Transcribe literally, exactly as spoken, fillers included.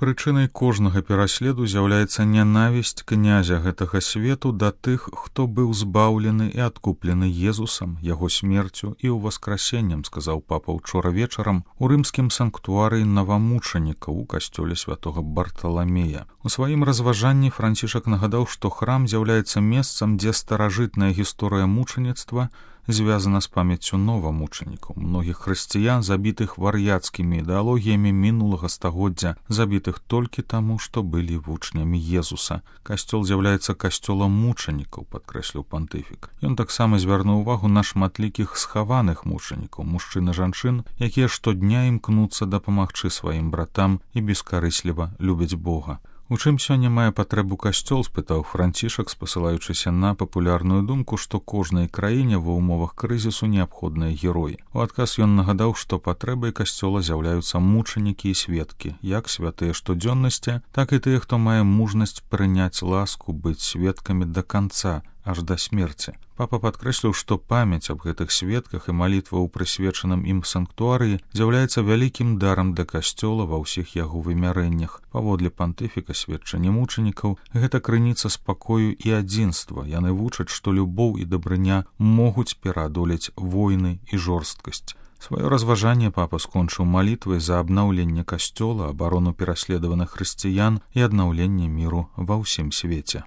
Прычынай кожнага пераследу з'яўляецца нянавісць князя гэтага свету да тых, хто быў збаўлены і адкуплены Езусам, яго смерцю і ўваскрасеннем, сказаў папа ўчора вечарам у рымскім санктуарыі навамучанікаў у касцёле святога Барталамея. У сваім разважанні Францішак нагадаў, што храм з'яўляецца месцам, дзе старажытная гісторыя мучаніцтва звязана з памяццю новамучанікаў, многіх хрысціян, забітых вар'яцкімі ідэалогіямі мінулага стагоддзя, забітых толькі таму, што былі вучнямі Езуса. Касцёл з'яўляецца касцёлам мучанікаў, падкрэсліў пантыфік. Ён таксама звярнуў увагу на шматлікіх схаваных мучанікаў, мужчын і жанчын, якія штодня імкнуцца дапамагчы сваім братам і бескарысліва любяць Бога. У чым сёння мае патрэбу касцёл, спытаў Францішак, спасылаючыся на папулярную думку, што кожнай краіне ва ўмовах крызісу неабходныя героі. У адказ ён нагадаў, што патрэбай касцёла з'яўляюцца мучанікі і сведкі, як святыя штодзённасці, так і тыя, хто мае мужнасць прыняць ласку, быць сведкамі да канца, аж да смерці. Папа падкрэсліў, што памяць аб гэтых сведках і малітва ў прысвечаным ім санктуарыі з'яўляецца вялікім дарам для касцёла ва ўсіх яго вымярэннях. Паводле пантыфіка, сведчанні мучанікаў — гэта крыніца спакою і адзінства. Яны вучаць, што любоў і дабрыня могуць пераадолець войны і жорсткасць. Сваё разважанне папа скончыў малітвай за абнаўленне касцёла, абарону пераследаваных хрысціян і аднаўленне міру ва ўсім свеце.